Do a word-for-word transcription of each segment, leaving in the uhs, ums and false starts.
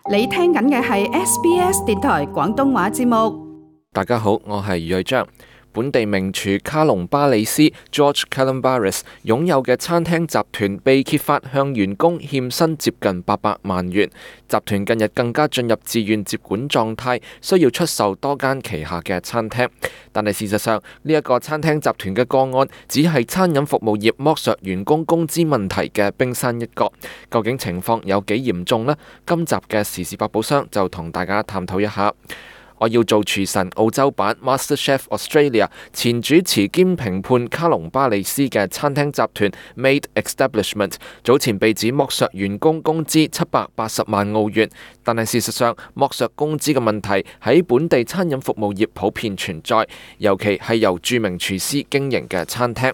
你聽緊嘅係 S B S 電台廣東話節目。大家好，我係余瑞章。本地名廚卡隆巴里斯 George Calombaris 擁有嘅餐廳集團被揭發向員工欠薪接近八百萬元。集團近日更加進入自願接管狀態，需要出售多間旗下嘅餐廳。但係事實上，呢一個餐廳集團嘅個案只係餐飲服務業剝削員工工資問題嘅冰山一角。究竟情況有幾嚴重呢？今集嘅時事百寶箱就同大家探討一下。我要做廚神澳洲版 MasterChef Australia 前主持兼評判卡隆巴里斯嘅餐廳集團 Made Establishment 早前被指剝削員工工資七百八十萬澳元，但係事實上剝削工資嘅問題喺本地餐飲服務業普遍存在，尤其係由著名廚師經營嘅餐廳。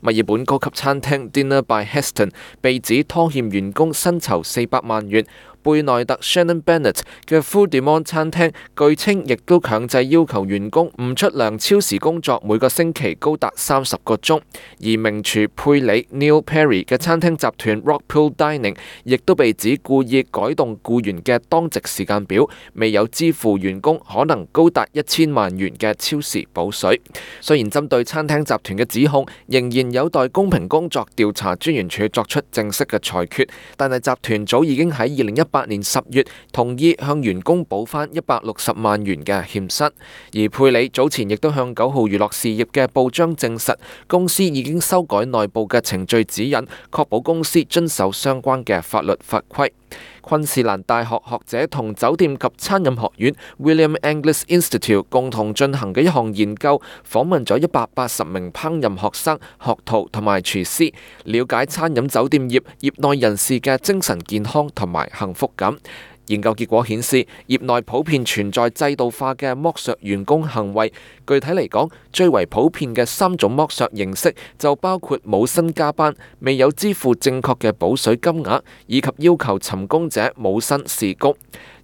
墨爾本高級餐廳 Dinner by Heston 被指拖欠員工薪酬四百萬元。貝內特 Shannon Bennett 嘅 Food Demand 餐廳據稱亦都強制要求員工唔出糧超時工作，每個星期高達三十個鐘。而名廚佩里 Neil Perry 嘅餐廳集團 Rockpool Dining 亦都被指故意改動僱員嘅當值時間表，未有支付員工可能高達一千萬元嘅超時補水。雖然針對餐廳集團嘅指控仍然有待公平工作調查專員處作出正式嘅裁決，但係集團早已經喺二零一八年十月同意向員工補返一百六十萬元嘅欠薪。而佩里早前亦都向九號娛樂事業嘅報章證實，公司已經修改內部嘅程序指引，確保公司遵守相關嘅法律法規。昆士蘭大學學者同酒店及餐飲學院 William Angliss Institute 共同進行嘅一項研究，訪問咗一百八十名烹飪學生、學徒同埋廚師，了解餐飲酒店業業內人士嘅精神健康同埋幸福感。研究結果顯示，業內普遍存在制度化嘅剝削員工行為。具體嚟講，最為普遍嘅三種剝削形式就包括冇薪加班、未有支付正確嘅補水金額，以及要求尋工者冇薪試工。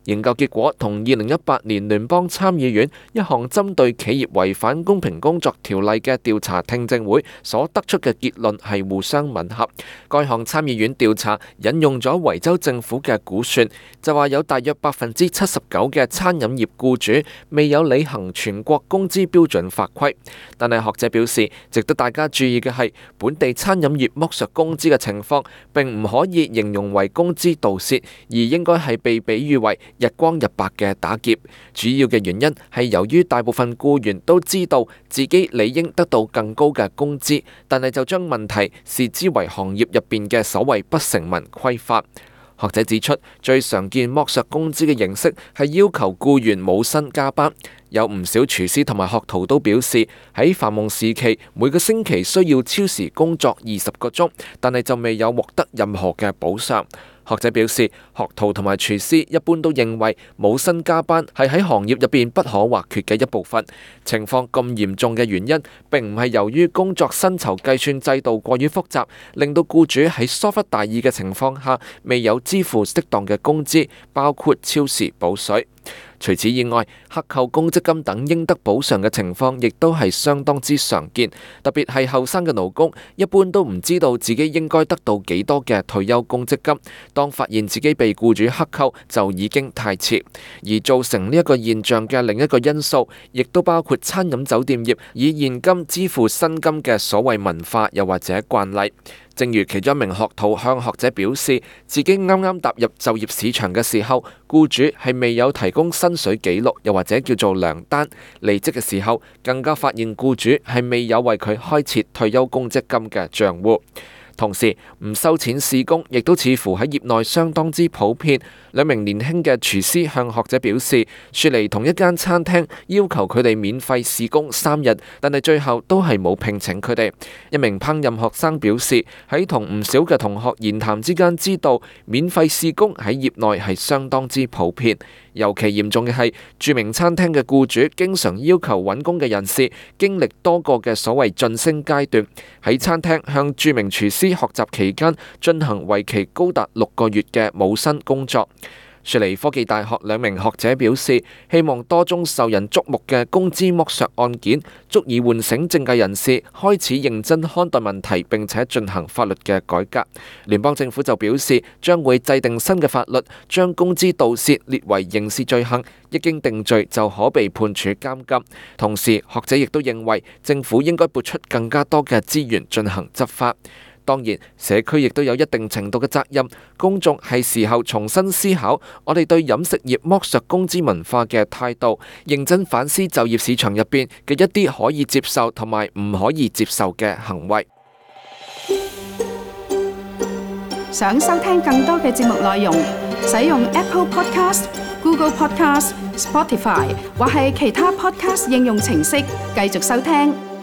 研究結果同二零一八年聯邦參議院一項針對企業違反公平工作條例嘅調查聽證會所得出嘅結論係互相吻合。該項參議院調查引用咗維州政府嘅估算，就話有大約百分之七十九嘅餐飲業僱主未有履行全國工資標準法規。但係學者表示，值得大家注意嘅係，本地餐飲業剝削工資嘅情況並唔可以形容為工資盜竊，而應該係被比喻為日光日白嘅打劫。主要嘅原因係由於大部分僱員都知道自己理應得到更高嘅工資，但係就將問題視之為行業入邊嘅所謂不成文規範。學者指出，最常見剝削工資嘅形式係要求僱員冇薪加班。有唔少廚師同埋學徒都表示，喺繁忙時期每個星期需要超時工作二十個鐘，但係就未有獲得任何嘅補償。學者表示，學徒同埋廚師一般都認為冇薪加班係喺行業入邊不可或缺嘅一部分。情況咁嚴重嘅原因並唔係由於工作薪酬計算制度過於複雜，令到僱主喺疏忽大意嘅情況下未有支付適當嘅工資，包括超時補水。除此以外，克扣公積金等應得補償嘅情況亦都係相當之常見，特別係後生嘅勞工，一般都唔知道自己應該得到幾多嘅退休公積金，當發現自己被僱主克扣就已經太遲。而造成呢一個現象嘅另一個因素，亦都包括餐飲酒店業以現金支付薪金嘅所謂文化，又或者慣例。正如其中一名學徒向學者表示，自己啱啱踏入就業市場嘅時候，僱主係未有提供薪水記錄，又或者叫做糧單。離職嘅時候，更加發現僱主係未有為佢開設退休公積金嘅賬戶。同時，唔收錢試工亦都似乎喺業內相當之普遍。兩名年輕嘅廚師向學者表示，雪梨同一間餐廳要求佢哋免費試工三日，但係最後都係冇聘請佢哋。一名烹飪學生表示，喺同唔少嘅同學言談之間知道，免費試工喺業內係相當之普遍。尤其嚴重嘅係，著名餐廳嘅僱主經常要求揾工嘅人士經歷多個嘅所謂晉升階段，喺餐廳向著名廚師學習期間進行為期高達六個月嘅冇薪工作。雪梨科技大學兩名學者表示，希望多宗受人矚目嘅工資剝削案件足以喚醒政界人士開始認真看待問題，並且進行法律嘅改革。聯邦政府就表示，將會制定新嘅法律，將工資盜竊列為刑事罪行，一經定罪就可被判處監禁。同時，學者亦都認為政府應該撥出更加多嘅資源進行執法。當然，社區亦都有一定程度嘅責任，公眾係時候重新思考我哋對飲食業剝削工資文化嘅態度，認真反思就業市場入邊嘅一啲可以接受同埋唔可以接受嘅行為。想收聽更多嘅節目內容，使用 Apple Podcast、Google Podcast、Spotify 或係其他 Podcast 應用程式繼續收聽。